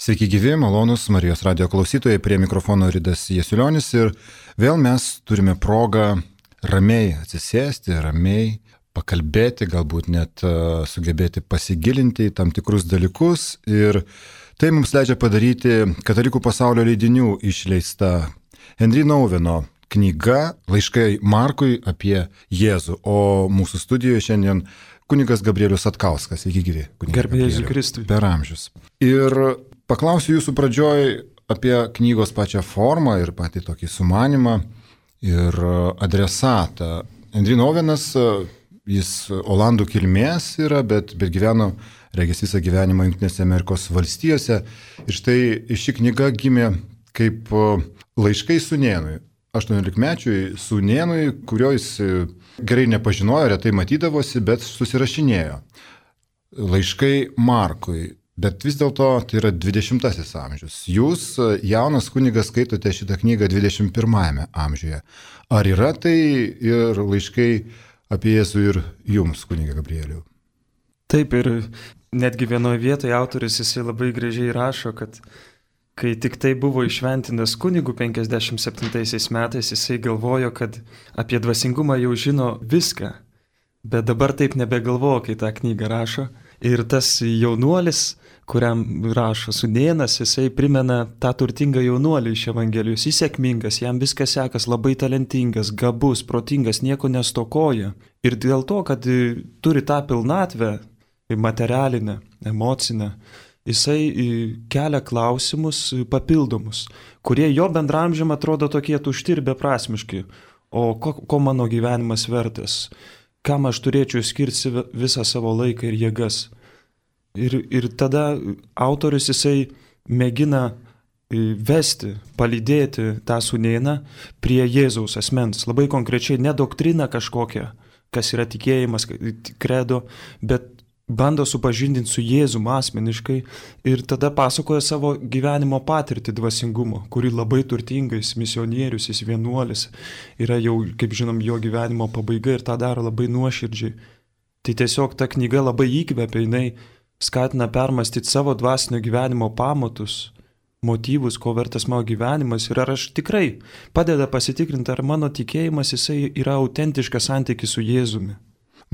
Sveiki gyvi, malonus Marijos radio klausytojai, prie mikrofono Ridas Jasiulionis ir vėl mes turime progą ramiai atsisėsti, ramiai pakalbėti, galbūt net sugebėti pasigilinti į tam tikrus dalykus ir tai mums leidžia padaryti Katalikų pasaulio leidinių išleista Henry Nouweno knyga Laiškai Markui apie Jėzų, o mūsų studijoje šiandien kunigas Gabrielius Satkauskas. Sveiki gyvi. Garbė Jėzui Kristui. Per amžius. Ir paklausiu jūsų pradžioj apie knygos pačią formą ir patį tokį sumanimą ir adresatą. Henry Nouwenas, jis olandų kilmės yra, bet gyveno, regis, visą gyvenimą Jungtinėse Amerikos valstijose. Ir štai ši knyga gimė kaip laiškai sūnėnui, 18-mečiui sūnėnui, kurio jis gerai nepažinojo, retai matydavosi, bet susirašinėjo. Laiškai Markui. Bet vis dėlto tai yra 20-asis amžius. Jūs, jaunas kunigas, skaitote šitą knygą 21-ame amžiuje. Ar yra tai ir laiškai apie Jėzų ir jums, kuniga Gabrieliau? Taip, ir netgi vienoje vietoje autorius jisai labai gražiai rašo, kad kai tik tai buvo įšventintas kunigų 57 metais, jisai galvojo, kad apie dvasingumą jau žino viską. Bet dabar taip nebegalvojo, kai tą knygą rašo. Ir tas jaunuolis, kuriam rašo sūnėnas, jisai primena tą turtingą jaunuolį iš Evangelijos. Jis sėkmingas, jam viskas sekas, labai talentingas, gabus, protingas, nieko nestokoja. Ir dėl to, kad turi tą pilnatvę, materialinę, emocinę, jisai kelia klausimus papildomus, kurie jo bendramžiam atrodo tokie tušti ir beprasmiški. O ko mano gyvenimas vertas? Kam aš turėčiau skirti visą savo laiką ir jėgas. Ir tada autorius jisai mėgina vesti, palydėti tą sūnėną prie Jėzaus asmens. Labai konkrečiai ne doktrina kažkokia, kas yra tikėjimas, kredo, bet bando supažindinti su Jėzum asmeniškai ir tada pasakoja savo gyvenimo patirtį dvasingumo, kuri labai turtingais misionierius, jis vienuolis, yra jau, kaip žinom, jo gyvenimo pabaiga ir tą daro labai nuoširdžiai. Tai tiesiog ta knyga labai įkvepia, jinai skatina permastyti savo dvasinio gyvenimo pamatus, motyvus, ko vertas mano gyvenimas ir ar aš tikrai padeda pasitikrinti, ar mano tikėjimas jisai yra autentiškas santykis su Jėzumi.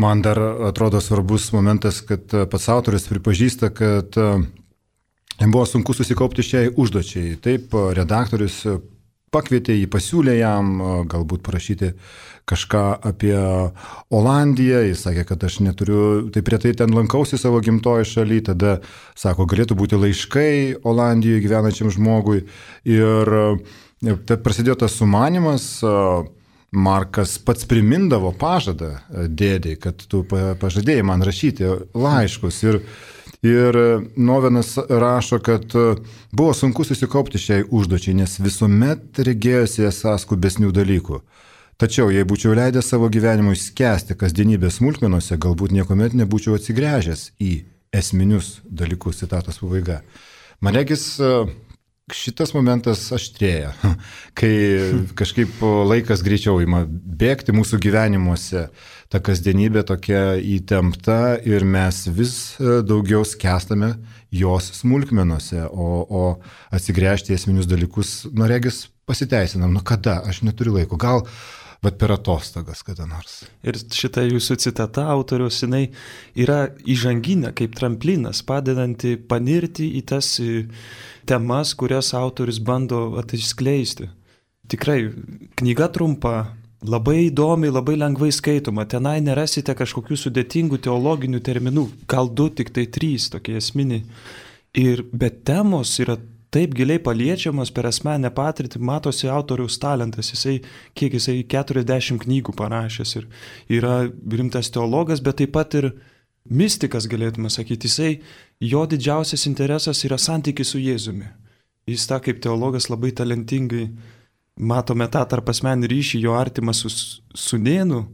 Man dar atrodo svarbus momentas, kad pats autorius pripažįsta, kad jam buvo sunku susikaupti šiai užduočiai. Taip, redaktorius pakvietė jį, pasiūlė jam galbūt parašyti kažką apie Olandiją. Jis sakė, kad aš neturiu, taip retai ten lankausi savo gimtoji šaly, tada, sako, galėtų būti laiškai Olandijoje gyvenančiam žmogui. Ir prasidėjo tas sumanymas. Markas pats primindavo pažadą dėdei, kad tu pažadėjai man rašyti laiškus. Ir Nouwenas rašo, kad buvo sunku susikaupti šiai užduočiai, nes visuomet regėjosi esąs skubesnių dalykų. Tačiau, jei būčiau leidęs savo gyvenimui skęsti kasdienybės smulkmenose, galbūt niekuomet nebūčiau atsigręžęs į esminius dalykus, citatos pabaiga. Man regis, šitas momentas aštrėja, kai kažkaip laikas greičiau ima bėgti mūsų gyvenimuose, ta kasdienybė tokia įtempta ir mes vis daugiau skęstame jos smulkmenose, o atsigręžti į esminius dalykus, regis, pasiteisinam, kada, aš neturiu laiko, gal bet per atostogas kada nors. Ir šita jūsų citata autoriaus, jinai yra įžanginė kaip tramplinas, padedanti panirti į tas temas, kurias autorius bando atskleisti. Tikrai, knyga trumpa, labai įdomi, labai lengvai skaitoma, tenai nerasite kažkokių sudėtingų teologinių terminų, gal 2, tik tai 3 tokie esminiai. Bet temos yra taip giliai paliečiamas per asmeninę patirtį, matosi autoriaus talentas, jisai 40 knygų parašęs ir yra rimtas teologas, bet taip pat ir mistikas, galėtume sakyti, jo didžiausias interesas yra santykis su Jėzumi. Jis tą kaip teologas labai talentingai, matome tą tarp asmeninį ryšį, jo artimą su sūnėnu,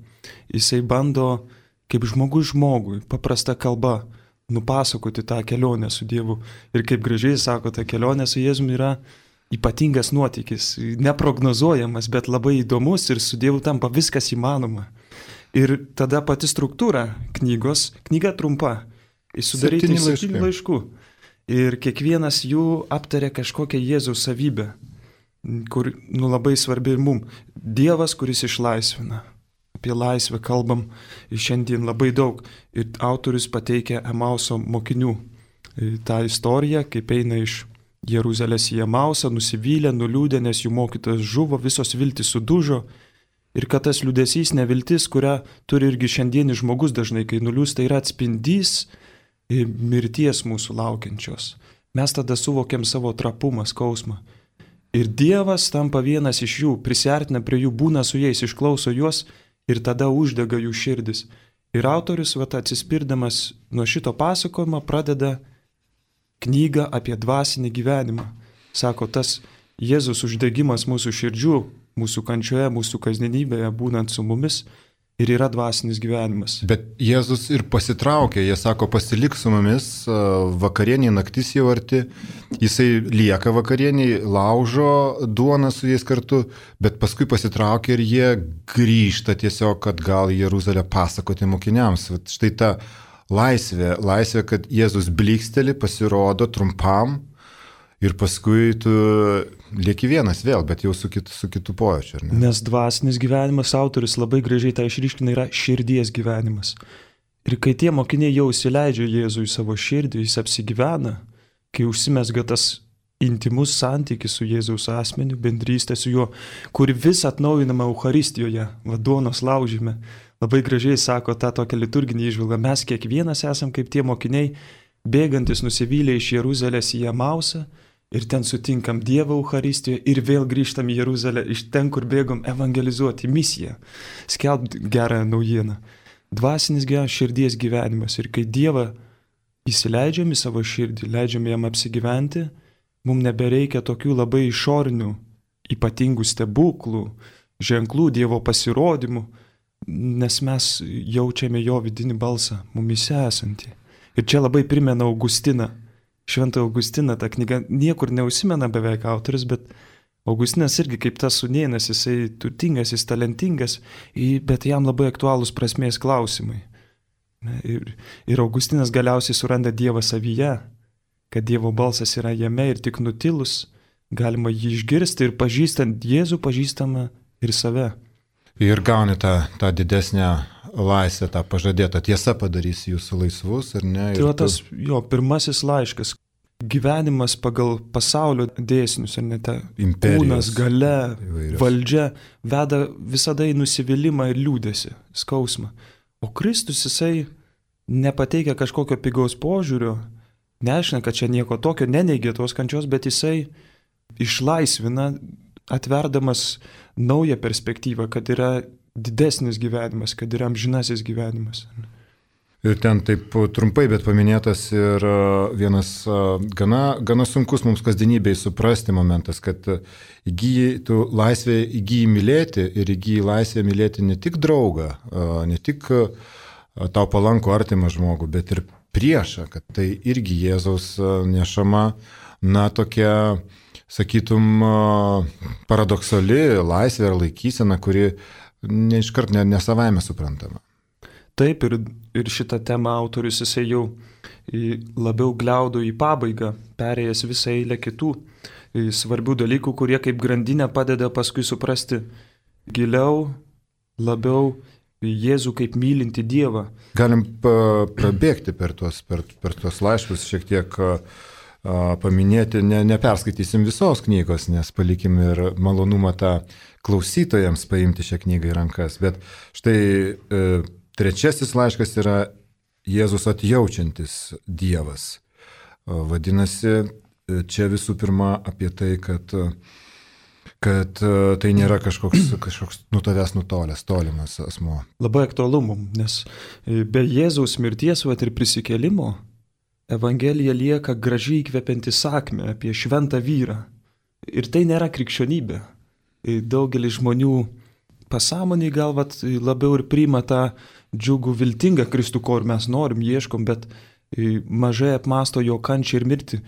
jisai bando kaip žmogus žmogui, paprasta kalba, nupasakoti tą kelionę su Dievu. Ir kaip gražiai sako, ta kelionė su Jėzumi yra ypatingas nuotykis, neprognozuojamas, bet labai įdomus ir su Dievu tampa viskas įmanoma. Ir tada pati struktūra knygos, knyga trumpa, sudaryti 7 laiškų. ir kiekvienas jų aptarė kažkokią Jėzaus savybę, kur labai svarbi ir mum. Dievas, kuris išlaisvina. Apie laisvę kalbam šiandien labai daug. Ir autorius pateikia Emauso mokinių tą istoriją, kaip eina iš Jeruzalės į Emausą, nusivylę, nuliūdę, nes jų mokytojas žuvo, visos viltys sudužo. Ir kad tas liūdesys, neviltis, kurią turi irgi šiandienis žmogus dažnai, kai nuliūsta, yra atspindys mirties mūsų laukiančios. Mes tada suvokiam savo trapumą, skausmą. Ir Dievas tampa vienas iš jų, prisiartina prie jų, būna su jais, išklauso juos ir tada uždega jų širdis. Ir autorius, atsispirdamas nuo šito pasakojimo, pradeda knygą apie dvasinį gyvenimą. Sako, tas Jėzus uždegimas mūsų širdžių, mūsų kančioje, mūsų kasdienybėje, būnant su mumis, ir yra dvasinis gyvenimas. Bet Jėzus ir pasitraukė, jie sako, pasilik su mumis, vakarienė, naktis jau arti, jisai lieka vakarieniai, laužo duoną su jais kartu, bet paskui pasitraukia ir jie grįžta tiesiog atgal į Jeruzalę pasakoti mokiniams. Štai ta laisvė, kad Jėzus bliksteli, pasirodo trumpam ir paskui tu lieki vienas vėl, bet jau su kitu pojūčiu. Nes dvasinis gyvenimas, autorius labai gražiai tą išryškina, yra širdies gyvenimas. Ir kai tie mokiniai jau įsileidžia Jėzų į savo širdį, jis apsigyvena, kai užsimesga tas intimus santykis su Jėzaus asmeniu, bendrystė su juo, kuri vis atnaujinama Eucharistijoje, duonos laužyme. Labai gražiai sako tą tokią liturginį įžvalgą. Mes kiekvienas esam kaip tie mokiniai, bėgantis nusivylę iš Jeruzalės į Emausą ir ten sutinkam Dievą Eucharistijoje ir vėl grįžtam į Jeruzalę iš ten, kur bėgom evangelizuoti, misiją, skelbti gerąją naujieną. Dvasinis širdies gyvenimas. Ir kai Dievą įsileidžiam į savo širdį, leidžiam jam apsigyventi, mums nebereikia tokių labai išorinių, ypatingų stebuklų, ženklų, Dievo pasirodymų, nes mes jaučiame jo vidinį balsą, mumise esantį. Ir čia labai primena Augustiną. Šventą Augustiną, ta knyga niekur neužsimena beveik autorius, bet Augustinas irgi kaip tas sūnėnas, jisai turtingas, jis talentingas, bet jam labai aktualūs prasmės klausimai. Ir Augustinas galiausiai suranda Dievą savyje, kad Dievo balsas yra jame ir tik nutilus galima jį išgirsti ir pažįstant Jėzų pažįstama ir save. Ir gauni tą didesnę laisvę, tą pažadėtą tiesą padarys jūsų laisvus, ar ne? Tai tas jo pirmasis laiškas. Gyvenimas pagal pasaulio dėsnius, ar ne, ta kūnas, galia, valdžia veda visada į nusivylimą ir liūdesį, skausmą. O Kristus, jisai nepateikia kažkokio pigaus požiūrio, neaiškina, kad čia nieko tokio, neneigia tos kančios, bet jisai išlaisvina, atverdamas naują perspektyvą, kad yra didesnis gyvenimas, kad yra amžinasis gyvenimas. Ir ten taip trumpai, bet paminėtas ir vienas gana sunkus mums kasdienybėj suprasti momentas, kad tu laisvę įgyji mylėti ir įgyji laisvę mylėti ne tik draugą, ne tik tau palankų artimą žmogų, bet ir priešą, kad tai irgi Jėzaus nešama, tokia, sakytum, paradoksali laisvė ar laikysena, kuri neiškart nesavaime suprantama. Taip, ir šitą temą autorius jisai jau labiau gliaudo į pabaigą, perėjęs visą eilę kitų svarbių dalykų, kurie kaip grandinė padeda paskui suprasti giliau, labiau Jėzų kaip mylinti Dievą. Galim prabėgti per tuos laiškus, šiek tiek paminėti, neperskaitysim visos knygos, nes palikim ir malonumą tą klausytojams paimti šią knygą į rankas. Bet štai trečiasis laiškas yra Jėzus atjaučiantis Dievas. Vadinasi, čia visų pirma apie tai, kad tai nėra kažkoks nuo tavęs nutolęs, tolimas asmuo. Labai aktualu mums, nes be Jėzaus mirties ir prisikėlimo Evangelija lieka gražiai įkvepianti sakmė apie šventą vyrą. Ir tai nėra krikščionybė. Daugelis žmonių pasąmoniai gal labiau ir priima tą džiugų viltingą Kristų, ko ir mes norim, ieškom, bet mažai apmąsto jo kančią ir mirtį.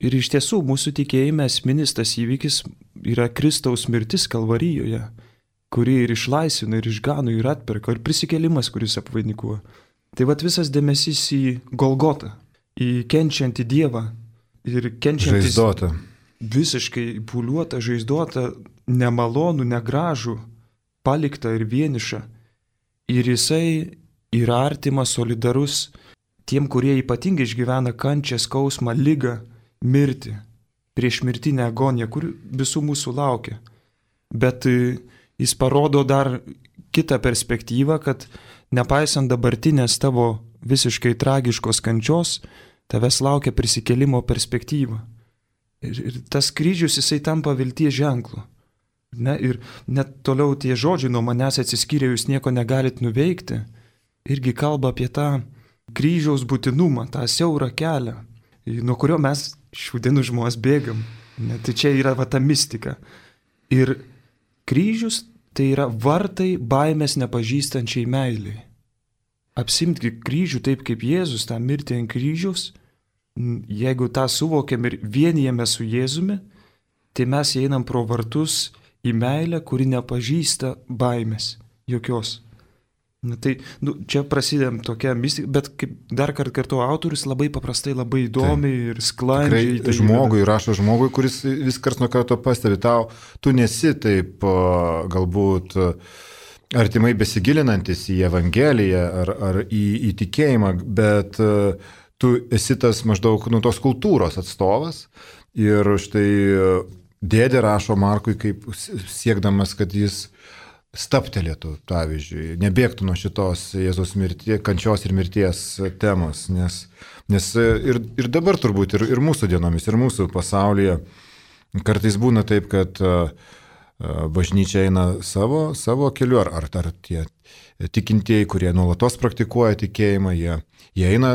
Ir iš tiesų mūsų tikėjime esminis tas įvykis yra Kristaus mirtis Kalvarijoje, kuri ir išlaisvina, ir išgano, ir atperka, ir prisikėlimas, kuris apvainikuoja. Tai visas dėmesys į Golgotą, į kenčiantį Dievą, ir kenčiantis. Žaizdota. Visiškai pūliuota, žaizdota, nemalonų, negražų, palikta ir vieniša. Ir jisai yra artimas, solidarus tiem, kurie ypatingai išgyvena kančią, skausmą, ligą, mirtį, prieš mirtinę agoniją, kur visų mūsų laukia. Bet jis parodo dar kitą perspektyvą, kad nepaisant dabartinės tavo visiškai tragiškos kančios, tavęs laukia prisikėlimo perspektyva. Ir tas kryžius jisai tampa vilties ženklu. Ne? Ir net toliau tie žodžiai nuo manęs atsiskyrė, jūs nieko negalit nuveikti, irgi kalba apie tą kryžiaus būtinumą, tą siaurą kelią, nuo kurio mes šių dienų žmonės bėgam. Ne? Tai čia yra va ta mistika. Ir kryžius tai yra vartai baimės nepažįstančiai meiliai. Apsimti kryžių taip kaip Jėzus, tą mirtį ant kryžiaus, jeigu tą suvokiam ir vienijame su Jėzumi, tai mes einam pro vartus į meilę, kuri nepažįsta baimės jokios. Na, tai čia prasidėm tokia mistika, bet kaip dar kartu autorius labai paprastai, labai įdomiai ir sklandžiai. Tikrai žmogui, rašo žmogui, kuris vis karts nuo karto pastebi, tu nesi taip galbūt artimai besigilinantis į Evangeliją ar į tikėjimą, bet tu esi tas maždaug tos kultūros atstovas ir štai dėdė rašo Markui, kaip siekdamas, kad jis staptelėtų, pavyzdžiui, nebėgtų nuo šitos Jėzaus kančios ir mirties temos, nes ir dabar turbūt ir mūsų dienomis, ir mūsų pasaulyje kartais būna taip, kad bažnyčia eina savo keliu, ar tie tikintieji, kurie nuolatos praktikuoja tikėjimą, jie eina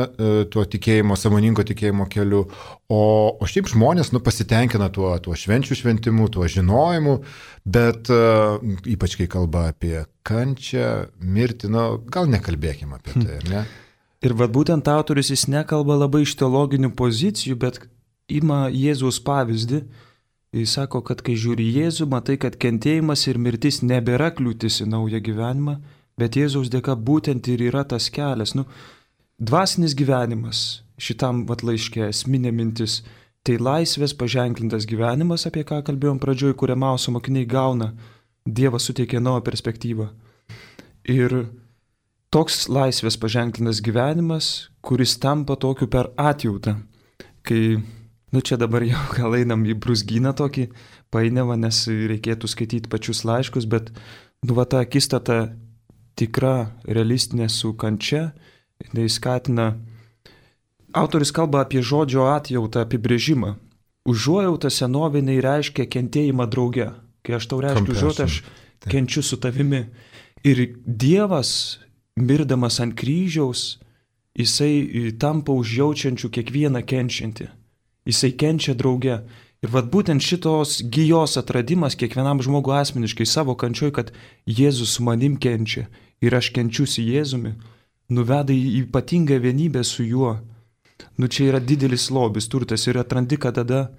tuo tikėjimo, sąmoningo tikėjimo keliu, o šiaip žmonės pasitenkina tuo švenčių šventimu, tuo žinojimu, bet ypač kai kalba apie kančią, mirtį, gal nekalbėkime apie tai, ar ne? Ir vad būtent autorius jis nekalba labai iš teologinių pozicijų, bet ima Jėzaus pavyzdį. Jis sako, kad kai žiūri Jėzų, matai, kad kentėjimas ir mirtis nebėra kliūtis į naują gyvenimą, bet Jėzaus dėka būtent ir yra tas kelias. Dvasinis gyvenimas šitam laiške esminė mintis, tai laisvės paženklintas gyvenimas, apie ką kalbėjom pradžioj, kur Emauso mokiniai gauna, Dievas suteikia naują perspektyvą. Ir toks laisvės paženklintas gyvenimas, kuris tampa tokiu per atjautą, kai čia dabar jau gal einam į brūzgyną tokį painiavą, nes reikėtų skaityti pačius laiškus, bet ta akistata tikra, realistinė su kančia, tai skatina. Autorius kalba apie žodžio atjautą apibrėžimą. Užuojauta senovinai reiškia kentėjimą drauge. Kai aš tau reiškiu užuojautą, aš kenčiu su tavimi. Ir Dievas, mirdamas ant kryžiaus, jisai tampa užjaučiančiu kiekvieną kenčiantį. Jisai kenčia drauge. Ir būtent šitos gijos atradimas kiekvienam žmogui asmeniškai savo kančioj, kad Jėzus su manim kenčia ir aš kenčiu su Jėzumi, nuveda į ypatingą vienybę su juo. Čia yra didelis lobis, turtas ir atrandi, kad tada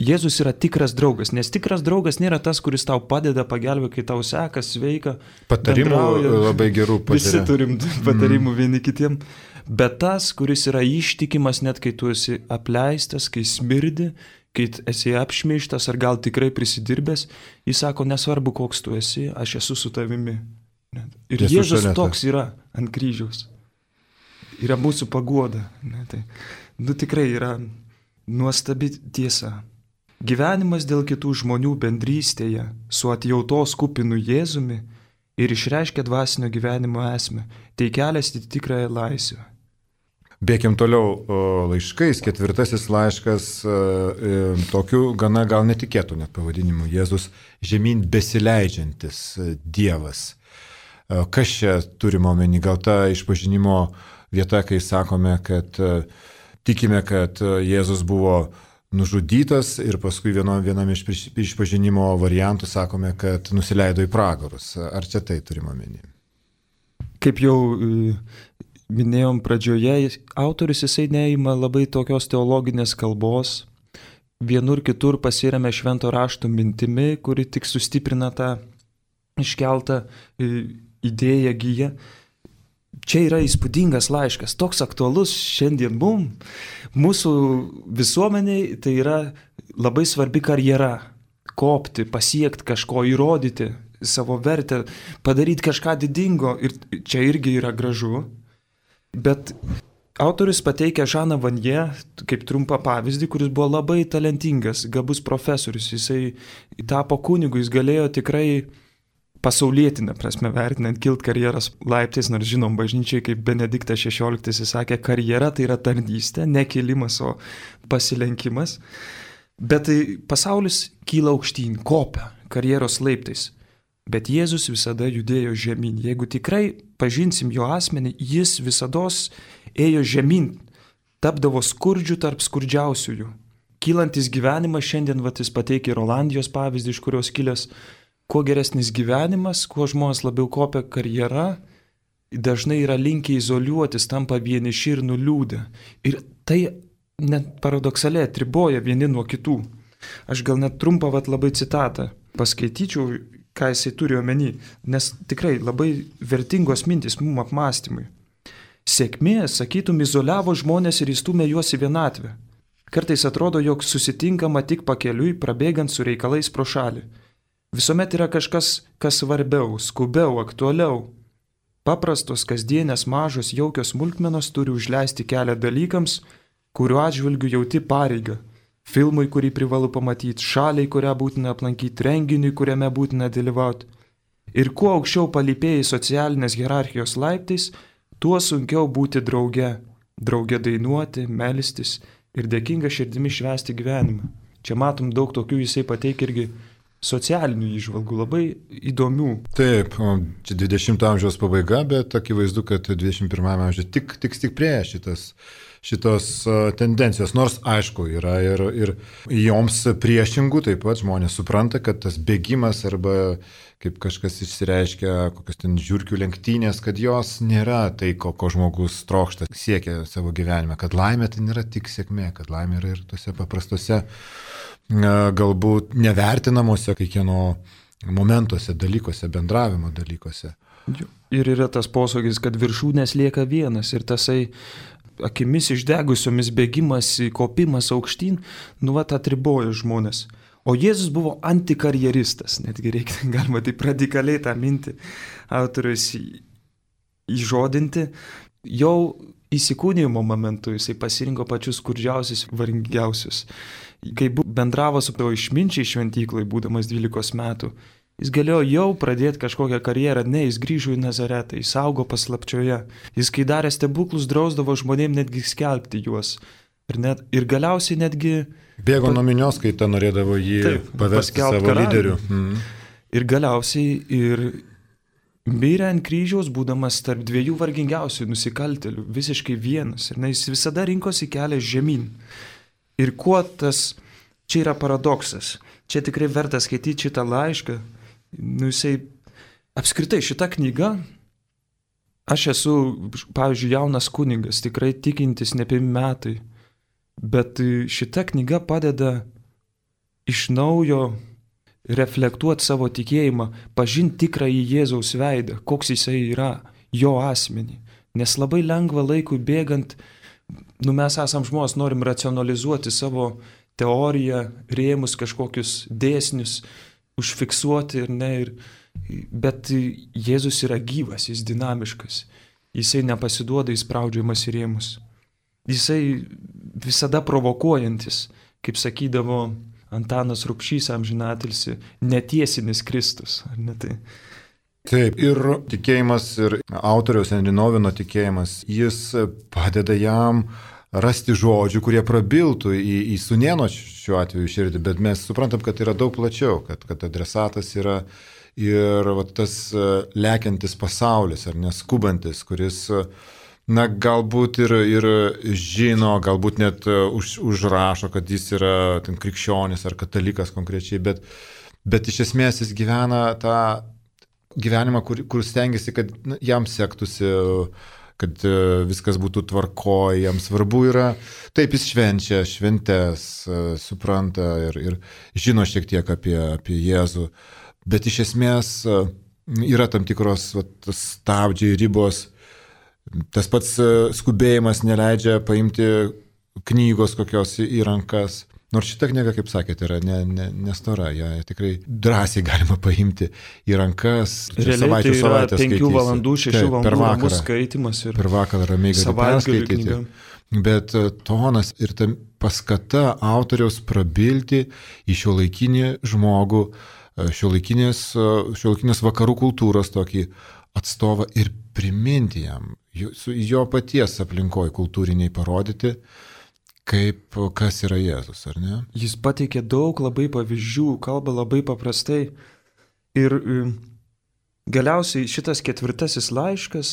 Jėzus yra tikras draugas, nes tikras draugas nėra tas, kuris tau padeda, pagelbė, kai tau sekas, sveika. Patarimų labai gerų pažiūrė. Visi turim patarimų vieni kitiem. Bet tas, kuris yra ištikimas, net kai tu esi apleistas, kai smirdi, kai esi apšmeižtas ar gal tikrai prisidirbęs, jis sako, nesvarbu, koks tu esi, aš esu su tavimi. Ir Jėzus toks yra ant kryžiaus. Yra mūsų paguoda. Tikrai yra nuostabi tiesa. Gyvenimas dėl kitų žmonių bendrystėje su atjautos kupinu Jėzumi ir išreiškia dvasinio gyvenimo esmę. Tai kelias į tikrąją laisvę. Bėkim toliau laiškais. 4 laiškas tokiu gana gal netikėtų net pavadinimu. Jėzus žemyn besileidžiantis Dievas. Kas čia turime omeny? Gal ta išpažinimo vieta, kai sakome, kad tikime, kad Jėzus buvo nužudytas ir paskui vienam iš išpažinimo variantų sakome, kad nusileido į pragarus. Ar čia tai turime omeny? Kaip jau minėjom pradžioje, autorius jisai neima labai tokios teologinės kalbos. Vienur kitur pasiremia švento rašto mintimi, kuri tik sustiprina tą iškeltą idėją giją. čia yra įspūdingas laiškas, toks aktualus šiandien mūsų visuomeniai, tai yra labai svarbi karjera. Kopti, pasiekti kažko, įrodyti savo vertę, padaryti kažką didingo ir čia irgi yra gražu. Bet autorius pateikia Žaną Vanje kaip trumpą pavyzdį, kuris buvo labai talentingas, gabus profesorius. Jisai tapo kunigu, jis galėjo tikrai pasaulietinę prasme vertinant kilt karjeros laiptais, nors žinom bažnyčiai, kaip Benediktas XVI sakė, karjera tai yra tarnystė, ne kilimas, o pasilenkimas. Bet pasaulis kyla aukštyn, kopia karjeros laiptais. Bet Jėzus visada judėjo žemyn. Jeigu tikrai pažinsim jo asmenį, jis visados ėjo žemyn, tapdavo skurdžių tarp skurdžiausiųjų. Kylantis gyvenimas, šiandien jis pateikė ir Olandijos pavyzdį, iš kurios kilęs, kuo geresnis gyvenimas, kuo žmonės labiau kopia karjera, dažnai yra linkę izoliuotis, tampa vieniši ir nuliūdę. Ir tai net paradoksaliai atriboja vieni nuo kitų. Aš gal net trumpą labai citatą paskaityčiau, ką jisai turi omeny, nes tikrai labai vertingos mintis mums apmąstymui. Sėkmė, sakytum, izoliavo žmonės ir įstumė juos į vienatvę. Kartais atrodo, jog susitinkama tik pakeliui, prabėgant su reikalais pro šalį. Visuomet yra kažkas, kas svarbiau, skubiau, aktualiau. Paprastos, kasdienės, mažos, jaukios smulkmenos turi užleisti kelią dalykams, kuriuo atžvilgiu jauti pareigą. Filmui, kurį privalu pamatyti, šaliai, kurią būtina aplankyti, renginiui, kuriame būtina dalyvauti. Ir kuo aukščiau palypėjai socialinės hierarchijos laiptais, tuo sunkiau būti drauge. Drauge dainuoti, melstis ir dėkinga širdimi švęsti gyvenimą. Čia matom daug tokių, jisai pateikia irgi socialinių įžvalgų, labai įdomių. Taip, čia 20 amžiaus pabaiga, bet akivaizdu, kad 21 amžiuje tik stiprėja šitos tendencijos, nors aišku yra ir joms priešingų, taip pat žmonės supranta, kad tas bėgimas arba kaip kažkas išsireiškia, kokios ten žiurkių lenktynės, kad jos nėra tai, ko žmogus trokšta, siekia savo gyvenime, kad laimė tai nėra tik sėkmė, kad laimė yra ir tose paprastose, galbūt nevertinamuose kiekvieno momentuose, dalykuose, bendravimo dalykuose. Ir yra tas posakis, kad viršūnės lieka vienas ir tasai akimis išdegusiomis bėgimas, kopimas aukštyn, atriboja žmonės. O Jėzus buvo antikarjeristas, netgi galima taip radikaliai tą mintį autorius įžodinti. Jau įsikūnijimo momentu jisai pasirinko pačius skurdžiausius, vargingiausius. Kai bendravo su tavo išminčiai šventyklai, būdamas 12 metų, jis galėjo jau pradėti kažkokią karjerą, ne, jis grįžo į Nazaretą, jis augo paslapčioje. Jis, kai darė stebuklus, drausdavo žmonėm netgi skelbti juos. Ir galiausiai netgi bėgo nuo minios, kai ta norėdavo jį paversti savo lyderiu. Ir galiausiai ir mirė ant kryžiaus, būdamas tarp dviejų vargingiausių nusikaltėlių, visiškai vienas. Ir jis visada rinkosi kelią žemyn. Ir kuo tas, čia yra paradoksas. Čia tikrai verta skaityti šitą laišką. Jisai, apskritai šita knyga, aš esu, pavyzdžiui, jaunas kunigas, tikrai tikintis ne 5 metai. Bet šita knyga padeda iš naujo reflektuoti savo tikėjimą, pažinti tikrąjį Jėzaus veidą, koks jisai yra, jo asmenį. Nes labai lengva laikui bėgant, mes esam žmonės, norim racionalizuoti savo teoriją, rėmus kažkokius dėsnius, užfiksuoti bet Jėzus yra gyvas, jis dinamiškas, jisai nepasiduoda įspraudžiamas į rėmus. Jisai visada provokuojantis, kaip sakydavo Antanas Rubšys amžinatilsį, netiesinis Kristus, ar ne tai? Taip, ir tikėjimas, ir autoriaus Henri Nouweno tikėjimas, jis padeda jam rasti žodžių, kurie prabiltų į sūnėno šiuo atveju širdį, bet mes suprantam, kad yra daug plačiau, kad adresatas yra ir tas lekiantis pasaulis, ar neskubantis, kuris galbūt ir žino, galbūt net užrašo, kad jis yra krikščionis ar katalikas konkrečiai, bet iš esmės jis gyvena tą gyvenimą, kur stengiasi, kad jam sektųsi, kad viskas būtų tvarkoj, jam svarbu yra, taip jis švenčia šventes, supranta ir žino šiek tiek apie Jėzų, bet iš esmės yra tam tikros stabdžiai, ribos, Tas pats skubėjimas neleidžia paimti knygos kokios į rankas. Nors šita knyga, kaip sakėte, yra nestora, ją tikrai drąsiai galima paimti į rankas. Realiai tai yra 5 valandų, 6 valandų skaitimas ir per vakarą ramiai gali perskaityti. Bet tonas ir ta paskata autoriaus prabilti į šiuolaikinį žmogų, šiuolaikinės vakarų kultūros tokį atstovą ir priminti jam, jo paties aplinkoje kultūriniai parodyti, kas yra Jėzus, ar ne? Jis pateikė daug labai pavyzdžių, kalba labai paprastai. Ir galiausiai šitas 4 laiškas,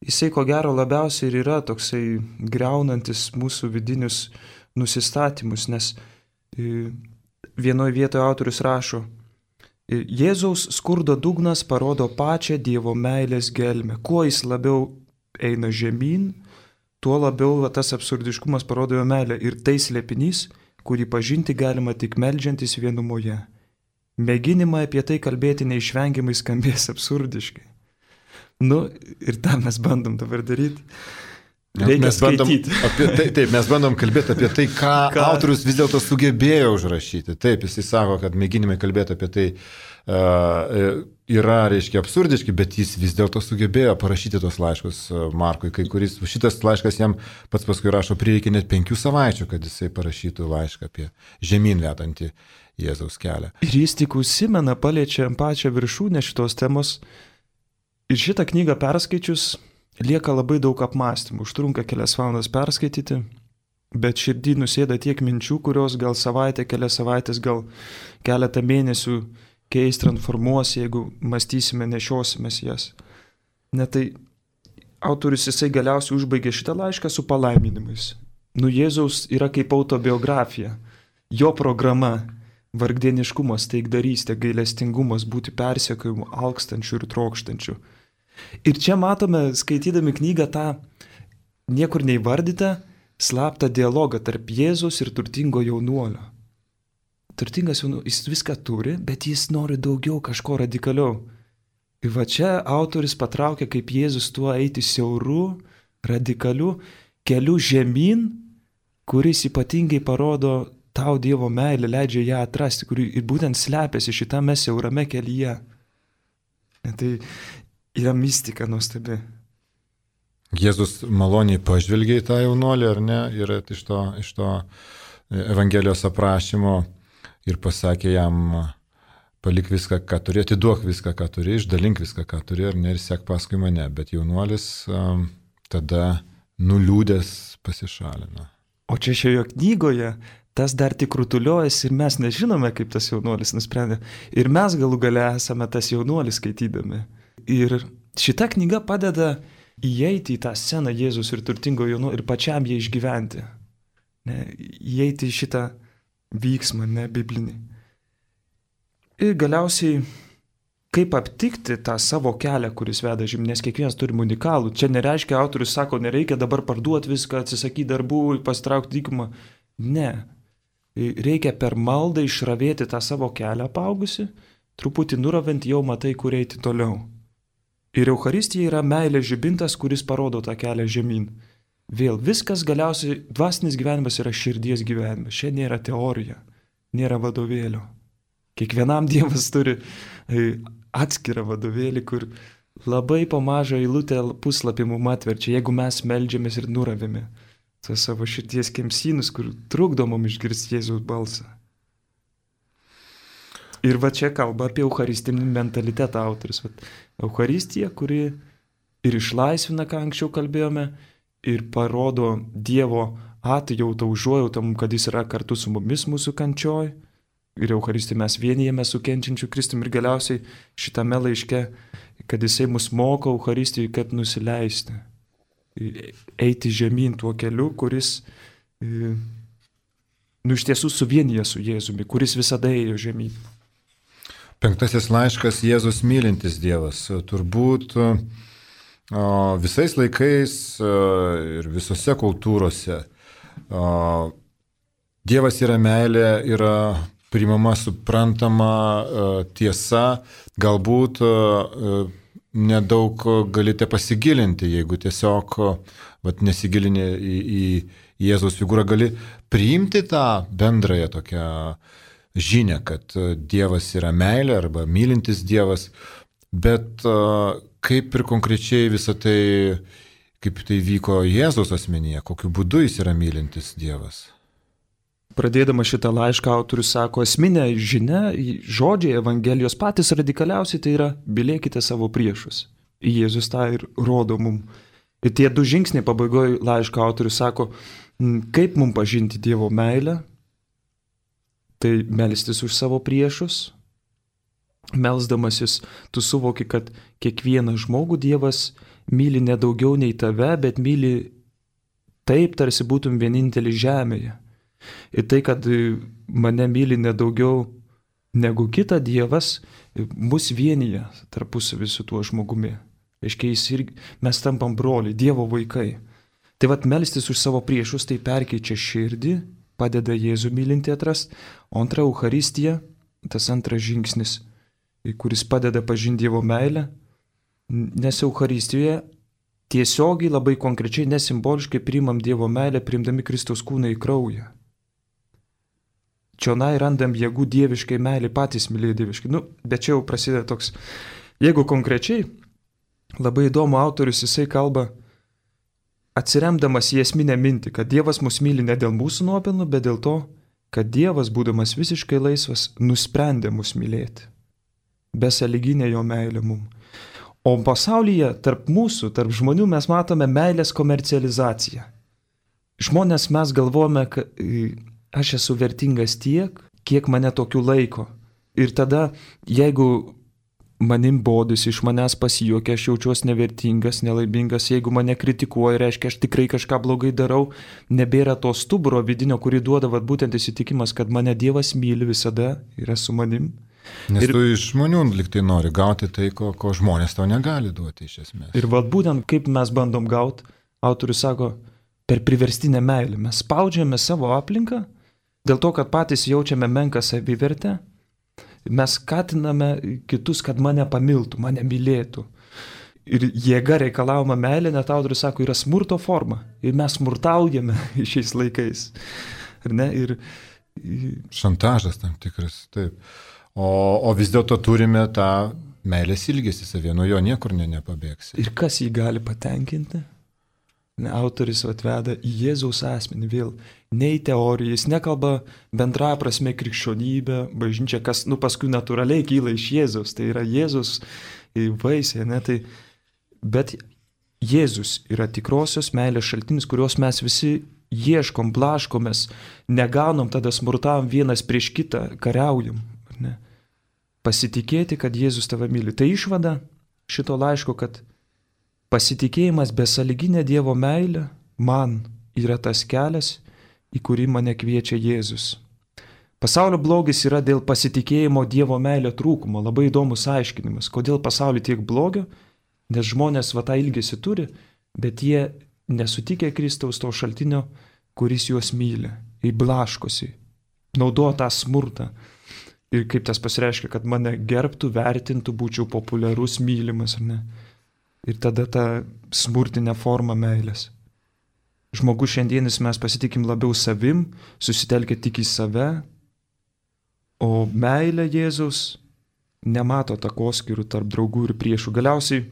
jisai ko gero labiausiai ir yra toksai griaunantis mūsų vidinius nusistatymus, nes vienoje vietoje autorius rašo: Jėzaus skurdo dugnas parodo pačią Dievo meilės gelmę. Kuo jis labiau eina žemyn, tuo labiau tas absurdiškumas parodo jo meilę. Ir tai slėpinys, kurį pažinti galima tik meldžiantis vienumoje. Mėginimai apie tai kalbėti neišvengiamai skambės absurdiškai. Ir tą mes bandom dabar daryti. Mes bandom kalbėti apie tai, ką autorius vis dėlto sugebėjo užrašyti. Taip, jisai sako, kad mėginimai kalbėti apie tai yra, reiškia, absurdiški, bet jis vis dėlto sugebėjo parašyti tos laiškus Markui. Šitas laiškas jam pats paskui rašo, prireikė net 5 savaičių, kad jisai parašytų laišką apie žemyn vedantį Jėzaus kelią. Ir jis tik užsimena, paliečia pačią viršūnę šitos temos. Ir šitą knygą perskaičius lieka labai daug apmąstymų, užtrunka kelias valandas perskaityti, bet širdį nusėda tiek minčių, kurios gal savaitę, kelias savaitės, gal keletą mėnesių keis, transformuos, jeigu mąstysime, nešiosimės jas. Tai autorius jisai galiausiai užbaigė šitą laišką su palaiminimais. Jėzaus yra kaip autobiografija, jo programa, vargdieniškumas, taikdarystė, gailestingumas, būti persekiojimu, alkstančiu ir trokštančiu. Ir čia matome, skaitydami knygą, tą niekur neįvardytą slaptą dialogą tarp Jėzaus ir turtingo jaunuolio. Turtingas jaunuolis, jis viską turi, bet jis nori daugiau, kažko radikaliau. Ir va čia autorius patraukia, kaip Jėzus tuo eiti siauru, radikaliu keliu žemyn, kuris ypatingai parodo tau Dievo meilę, leidžia ją atrasti, kuri ir būtent slepiasi šitame siaurame kelyje. Tai yra mistika nuostabi. Jėzus maloniai pažvelgė į tą jaunuolį, ar ne, ir iš to Evangelijos aprašymo ir pasakė jam, palik viską, ką turi, atiduok viską, ką turi, išdalink viską, ką turi, ar ne, ir sek paskui mane. Bet jaunuolis tada nuliūdęs pasišalino. O čia šioje knygoje tas dar tik rutuliojasi ir mes nežinome, kaip tas jaunuolis nusprendė. Ir mes galų gale esame tas jaunuolis skaitydami. Ir šita knyga padeda įeiti į tą sceną Jėzus ir turtingo jaunuolio ir pačiam jį išgyventi. Įeiti į šitą vyksmą, biblinį. Ir galiausiai, kaip aptikti tą savo kelią, kuris veda žemyn, nes kiekvienas turi unikalų. Čia nereiškia, autorius sako, nereikia dabar parduoti viską, atsisakyti darbų, pasitraukti dykumą. Ne. Reikia per maldą išravėti tą savo kelią apaugusi, truputį nuravint jau matai, kur eiti toliau. Ir Eucharistija yra meilės žibintas, kuris parodo tą kelią žemyn. Vėl viskas galiausiai, dvasinis gyvenimas yra širdies gyvenimas. Čia nėra teorija, nėra vadovėlio. Kiekvienam Dievas turi atskirą vadovėlį, kur labai po mažą eilutę puslapį mum atverčia, jeigu mes meldžiamės ir nuravime tuos savo širdies kemsynus, kur trukdo mum išgirsti Jėzaus balsą. Ir va čia kalba apie eucharistinį mentalitetą autorius. Eucharistija, kuri ir išlaisvina, ką anksčiau kalbėjome, ir parodo Dievo atjautą, užuojautą, kad jis yra kartu su mumis mūsų kančioj. Ir Eucharistija mes vienijame su kenčiančiu Kristumi. Ir galiausiai šitame laiške, kad jisai mus moko Eucharistijai, kaip nusileisti. Eiti žemyn tuo keliu, kuris iš tiesų suvienyje su Jėzumi, kuris visada ėjo žemyn. 5 laiškas Jėzus mylintis Dievas. Turbūt visais laikais ir visose kultūrose Dievas yra meilė, yra priimama, suprantama tiesa, galbūt nedaug galite pasigilinti, jeigu tiesiog nesigilinė į Jėzaus figūrą, gali priimti tą bendrąją tokią žinią, kad Dievas yra meilė arba mylintis Dievas, bet kaip ir konkrečiai visą tai, kaip tai vyko Jėzaus asmenyje, kokiu būdu jis yra mylintis Dievas. Pradėdama šitą laišką autorius sako, esminė žinia, žodžiai Evangelijos patys radikaliausiai tai yra mylėkite savo priešus. Jėzus tą ir rodo mum. Ir tie 2 žingsniai pabaigoje laiško autorius sako, kaip mum pažinti Dievo meilę, tai melstis už savo priešus. Melsdamasis tu suvoki, kad kiekvieną žmogų Dievas myli ne daugiau nei tave, bet myli taip, tarsi būtum vienintelis žemėje. Ir tai, kad mane myli nedaugiau negu kitą Dievas, mus vienyje tarpusavy su tuo žmogumi. Reiškia, mes tampam broliai, Dievo vaikai. Tai melstis už savo priešus, tai perkeičia širdį, padeda Jėzų mylinti atrast. O antra Eucharistija, tas antras žingsnis, kuris padeda pažinti Dievo meilę, nes Eucharistijoje tiesiogiai labai konkrečiai, nesimboliškai priimam Dievo meilę, priimdami Kristaus kūną į kraują. Čionai randam jėgų dieviškai meilį, patys mylėjo dieviškai. Bet čia jau prasideda toks. Jeigu konkrečiai, labai įdomu, autorius jisai kalba, atsiremdamas į esminę mintį, kad Dievas mus myli ne dėl mūsų nuopelnų, bet dėl to, kad Dievas, būdamas visiškai laisvas, nusprendė mus mylėti. Besąlyginė jo meilė mum. O pasaulyje tarp mūsų, tarp žmonių mes matome meilės komercializaciją. Žmonės mes galvojame, kad aš esu vertingas tiek, kiek mane tokiu laiko. Ir tada, jeigu manim bodis, iš manęs pasijuokia, aš jaučiuosi nevertingas, nelaimingas, jeigu mane kritikuoja, reiškia, aš tikrai kažką blogai darau, nebėra to stuburo vidinio, kurį duoda būtent įsitikimas, kad mane Dievas myli visada, yra su manim. Nes tu iš žmonių liktai nori gauti tai, ko žmonės tau negali duoti iš esmės. Ir būtent kaip mes bandom gauti, autorius sako, per priverstinę meilę. Mes spaudžiame savo aplinką, dėl to, kad patys jaučiame menką savivertę, mes skatiname kitus, kad mane pamiltų, mane mylėtų. Ir jėga reikalaujama meilė, net autorius sako, yra smurto forma. Ir mes smurtaujame šiais laikais. Šantažas tam tikras, taip. O vis dėlto turime tą meilės ilgesį savie, nuo jo niekur nepabėgsi. Ir kas jį gali patenkinti? Autoris atveda į Jėzaus asmenį vėl, ne į teoriją, jis nekalba bendrąja prasme krikščionybę, bažnyčia, kas paskui natūraliai kyla iš Jėzaus, tai yra Jėzus vaisiai, bet Jėzus yra tikrosios meilės šaltinis, kurios mes visi ieškom, blaškomės, negaunam, tada smurtavom vienas prieš kitą, kariaujam. Pasitikėti, kad Jėzus tave myli. Tai išvada šito laiško, kad pasitikėjimas besąlyginė Dievo meilė man yra tas kelias, į kurį mane kviečia Jėzus. Pasaulio blogis yra dėl pasitikėjimo Dievo meilė trūkumo. Labai įdomus aiškinimas. Kodėl pasaulyje tiek blogio? Nes žmonės tą ilgesį turi, bet jie nesutikė Kristaus to šaltinio, kuris juos myli. Įblaškosi, naudoja tą smurtą. Ir kaip tas pasireiškia, kad mane gerbtų, vertintų, būčiau populiarus, mylimas, ar ne? Ir tada ta smurtinė forma meilės. Žmogus šiandienis mes pasitikim labiau savim, susitelkia tik į save, o meilė Jėzaus nemato takoskyrų tarp draugų ir priešų. Galiausiai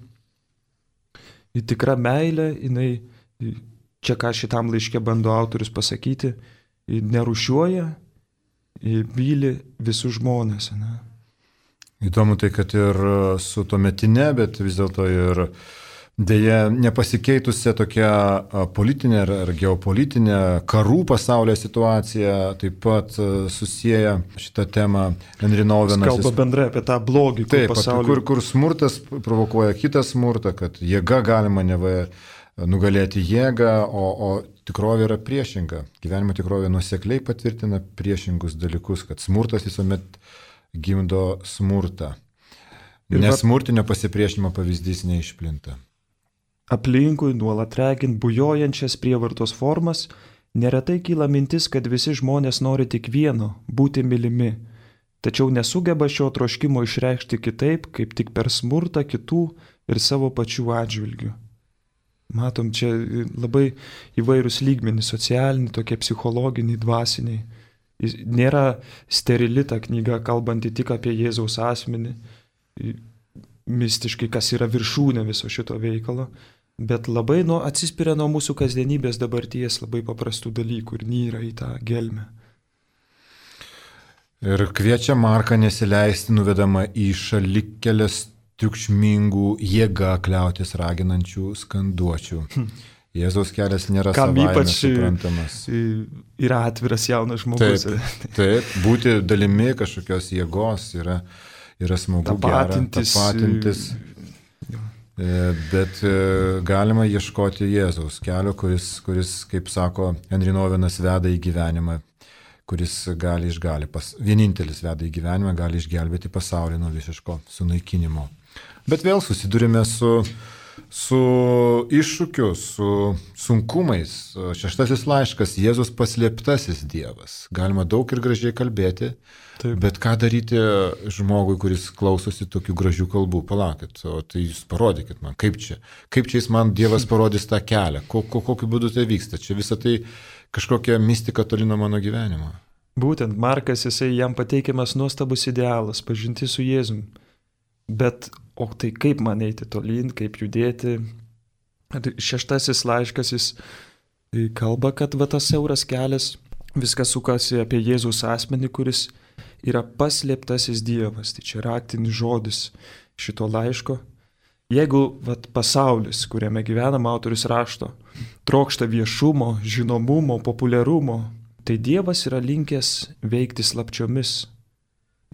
į tikrą meilę, jinai, čia ką šitam laiške bando autorius pasakyti, nerūšiuoja, myli visus žmonės. Ne? Įdomu tai, kad ir su tuometinė, bet vis dėlto ir dėja nepasikeitusią tokią politinę ar geopolitinę karų pasaulio situaciją taip pat susieja šitą temą Henry Nouwenas. Jis kalba bendrai apie tą blogį, kur smurtas provokuoja kitą smurtą, kad jėga galima nugalėti jėgą, o tikrovė yra priešinga. Gyvenimo tikrovė nuosekliai patvirtina priešingus dalykus, kad smurtas visuomet gimdo smurtą. Nesmurtinio pasipriešinimo pavyzdys neišplinta. Aplinkui nuolat regint bujojančias prievartos formas, neretai kyla mintis, kad visi žmonės nori tik vieno – būti mylimi. tačiau nesugeba šio troškimo išreikšti kitaip, kaip tik per smurtą kitų ir savo pačių atžvilgių. Matom, čia labai įvairūs lygmenys, socialiniai, tokie psichologiniai, dvasiniai. Nėra sterili ta knyga, kalbanti tik apie Jėzaus asmenį, mistiškai, kas yra viršūnė viso šito veikalo, bet labai atsispiria nuo mūsų kasdienybės dabarties labai paprastų dalykų ir nyra į tą gelmę. Ir kviečia Marką nesileisti nuvedama į šalikelės triukšmingų jėga kliautis raginančių skanduočių. Jėzaus kelias nėra savaime suprantamas. Yra atviras jaunas žmogus. Taip, būti dalimi kažkokios jėgos yra smagu, tapatintis. Bet galima ieškoti Jėzaus kelio, kuris, kaip sako Henry Nouwenas, veda į gyvenimą, kuris vienintelis veda į gyvenimą, gali išgelbėti pasaulį nuo visiško sunaikinimo. Bet vėl susidurime su iššūkiu, su sunkumais. 6 laiškas, Jėzus paslėptasis Dievas. Galima daug ir gražiai kalbėti, taip. Bet ką daryti žmogui, kuris klausosi tokių gražių kalbų? Palaukit, o tai jūs parodykit man, kaip čia jis man Dievas parodys tą kelią, kokiu būdu tai vyksta. Čia visą tai kažkokia mistika toli nuo mano gyvenimo. Būtent Markas, jam pateikiamas nuostabus idealas, pažinti su Jėzum. Bet, o tai kaip man eiti tolyn, kaip judėti? 6 laiškas jis kalba, kad tas siauras kelias, viskas sukasi apie Jėzaus asmenį, kuris yra paslėptasis Dievas. Tai čia raktinis žodis šito laiško. Jeigu pasaulis, kuriame gyvenam, autorius rašto, trokšta viešumo, žinomumo, populiarumo, tai Dievas yra linkęs veikti slapčiomis.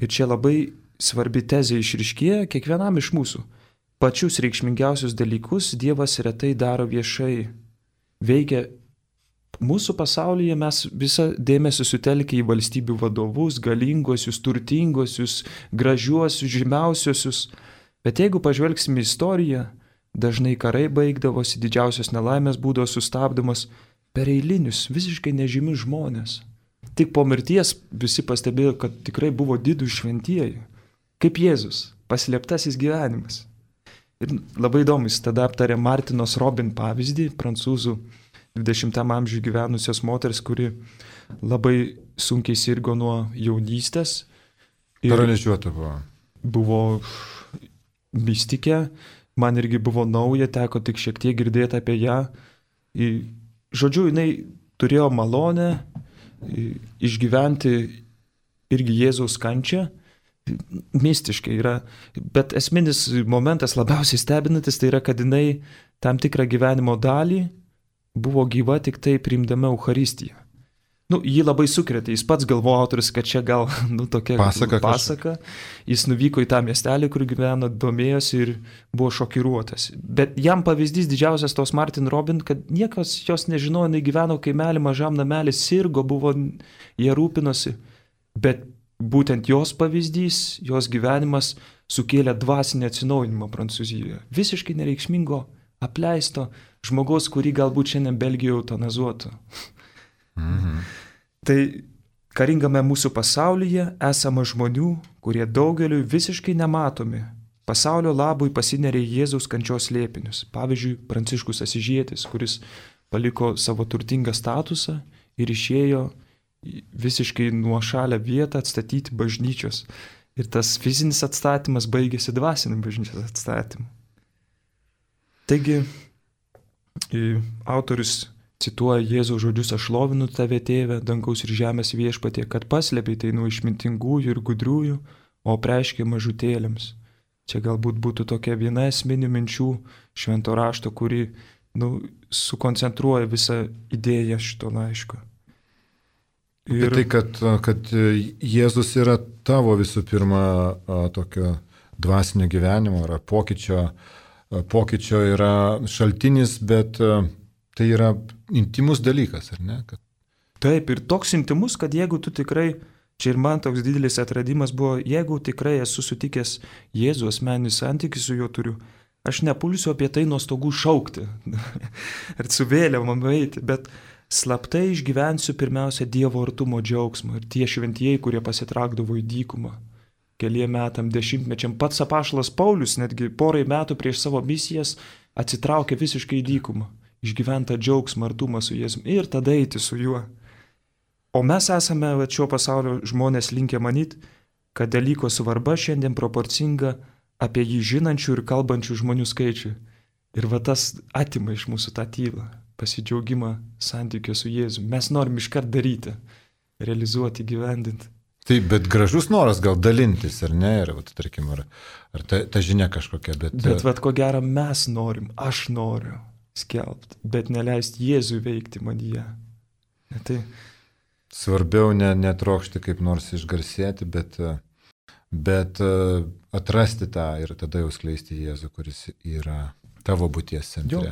Ir čia labai svarbi tezė išryškėja kiekvienam iš mūsų. Pačius reikšmingiausius dalykus Dievas retai daro viešai. Veikia mūsų pasaulyje, mes visą dėmesį sutelkia į valstybių vadovus, galinguosius, turtinguosius, gražiuosius, žymiausiosius. Bet jeigu pažvelgsime į istoriją, dažnai karai baigdavosi, didžiausios nelaimės būdavo sustabdomas per eilinius, visiškai nežymius žmonės. Tik po mirties visi pastebėjo, kad tikrai buvo didų šventieji. Kaip Jėzus, paslėptasis gyvenimas. Ir labai įdomu, jis tada aptarė Martinos Robin pavyzdį, prancūzų 20 amžiuje gyvenusios moters, kuri labai sunkiai sirgo nuo jaunystės. Paralyžiuota buvo. Buvo mistikė, man irgi buvo nauja, teko tik šiek tiek girdėti apie ją. Žodžiu, jinai turėjo malonę išgyventi irgi Jėzaus kančią. Mistiškai yra, bet esminis momentas labiausiai stebinantis tai yra, kad jinai tam tikrą gyvenimo dalį buvo gyva tik tai priimdama Eucharistiją. Jį labai sukrėtė, jis pats galvojo autorius, kad čia gal tokia pasaka. Jis nuvyko į tą miestelį, kur gyveno, domėjosi ir buvo šokiruotas. Bet jam pavyzdys didžiausias tos Martin Robin, kad niekas jos nežinojo, jinai gyveno kaimelį, mažam namelį, sirgo, jie rūpinosi, bet būtent jos pavyzdys, jos gyvenimas sukėlė dvasinį atsinaujinimą Prancūzijoje. Visiškai nereikšmingo, apleisto žmogaus, kurį galbūt šiandien Belgijoje eutanazuotų. Tai karingame mūsų pasaulyje esama žmonių, kurie daugeliui visiškai nematomi, pasaulio labui pasinerė Jėzaus kančios slėpinius. Pavyzdžiui, Pranciškus Asyžietis, kuris paliko savo turtingą statusą ir išėjo visiškai nuošalią vietą atstatyti bažnyčios. Ir tas fizinis atstatymas baigėsi dvasiniu bažnyčios atstatymu. Taigi, autorius cituoja Jėzaus žodžius: aš šlovinu tave, tėve, dangaus ir žemės viešpatie, kad paslėpei tai nuo išmintingųjų ir gudriųjų, o apreiškei mažutėlėms. Čia galbūt būtų tokia viena esminių minčių švento rašto, kuri sukoncentruoja visą idėją šito laiško. Ir tai, kad Jėzus yra tavo visų pirma tokio dvasinio gyvenimo, yra pokyčio yra šaltinis, bet tai yra intimus dalykas, ar ne? Taip, ir toks intimus, kad jeigu tu tikrai, čia ir man toks didelis atradimas buvo, jeigu tikrai esu sutikęs Jėzų, asmeninį santykį su juo turiu, aš nepulsiu apie tai nuo stogų šaukti ir su vėliavom eiti, bet slaptai išgyvensiu pirmiausia Dievo artumo džiaugsmą. Ir tie šventieji, kurie pasitraukdavo į dykumą, keliem metam, dešimtmečiam, pats apaštalas Paulius netgi porai metų prieš savo misijas atsitraukė visiškai į dykumą, išgyventą džiaugsmą, artumą su Jėzumi ir tada eiti su juo. O mes esame šio pasaulio žmonės linkę manyti, kad dalyko svarba šiandien proporcinga apie jį žinančių ir kalbančių žmonių skaičiui. Ir va tas atima iš mūsų tą tylą, pasidžiaugimą santykio su Jėzumi. Mes norim iškart daryti, realizuoti, gyvendinti. Taip, bet gražus noras gal dalintis, ar ne? Ir, tarkim, ar ta žinia kažkokia, bet... Bet vat ko gero mes norim, aš noriu skelbti, bet neleisti Jėzui veikti manyje. Tai... Svarbiau netrokšti kaip nors išgarsėti, bet atrasti tą ir tada jau skleisti Jėzų, kuris yra tavo būties centre. Jo.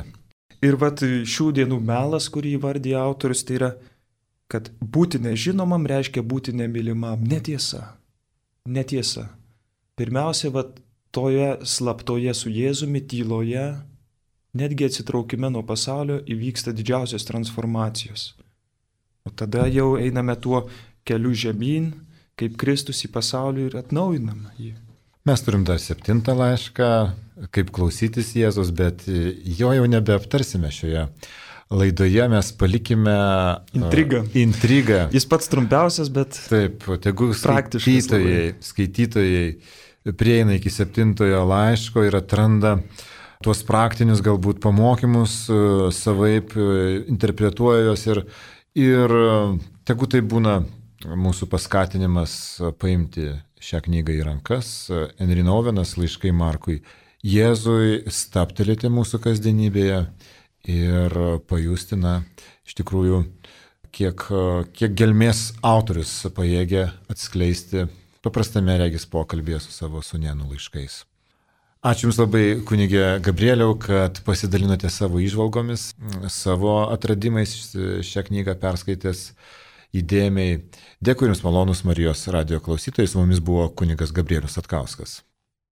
Ir vat šių dienų melas, kurį įvardija autorius, tai yra, kad būti nežinomam reiškia būti nemylimam. Netiesa. Netiesa. Pirmiausia, vat toje slaptoje su Jėzumi, tyloje, netgi atsitraukime nuo pasaulio įvyksta didžiausios transformacijos. O tada jau einame tuo keliu žemyn, kaip Kristus į pasaulį ir atnaujiname jį. Mes turim dar 7 laišką, kaip klausytis Jėzus, bet jo jau nebeaptarsime šioje laidoje, mes palikime intrigą. Jis pats trumpiausias, bet taip, tegu skaitytojai prieina iki 7 laiško ir atranda tuos praktinius galbūt pamokymus, savaip interpretuoja juos ir tegu tai būna mūsų paskatinimas paimti šią knygą į rankas. Henry Nouwenas, laiškai Markui Jėzui, stabtelėti mūsų kasdienybėje ir pajusti, iš tikrųjų, kiek gelmės autorius pajėgia atskleisti paprastame regis pokalbėje su savo sūnėnu laiškais. Ačiū Jums labai, kunigė Gabrieliau, kad pasidalinote savo įžvalgomis, savo atradimais, šią knygą perskaitęs įdėmiai. Dėkui Jums, malonus Marijos radijo klausytojai, su mumis buvo kunigas Gabrielius Satkauskas.